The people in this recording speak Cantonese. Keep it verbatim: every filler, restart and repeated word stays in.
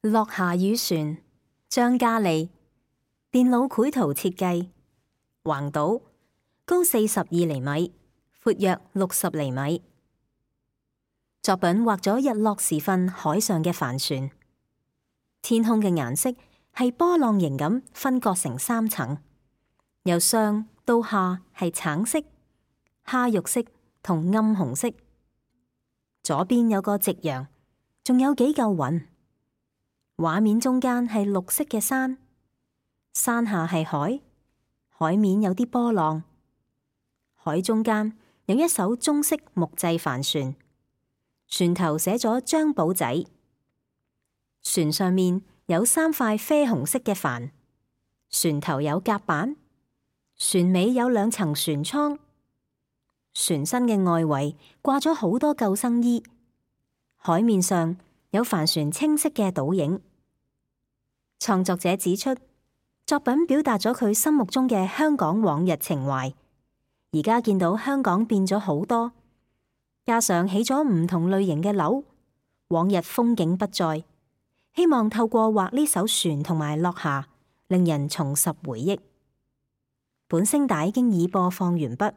落霞與船，張嘉利，電腦繪圖設計，橫島，高四十二厘米，闊約六十厘米。作品畫咗日落時分海上嘅帆船，天空嘅顏色係波浪形咁分割成三層，由上到下係橙色、蝦肉色同暗紅色。左邊有個夕陽，仲有幾嚿雲。畫面中間係綠色嘅山，山下係海，海面有啲波浪。海中間有一艘中式木製帆船，船頭寫咗張保仔。船上面有三塊啡紅色嘅帆，船頭有甲板，船尾有兩層船艙，船身嘅外圍掛咗好多救生衣。海面上有帆船清晰嘅倒影。創作者指出，作品表達咗佢心目中嘅香港往日情懷。而家見到香港變咗好多，加上起咗唔同類型嘅樓，往日風景不再。希望透過畫呢艘船同埋落霞，令人重拾回憶。本聲帶經已播放完畢。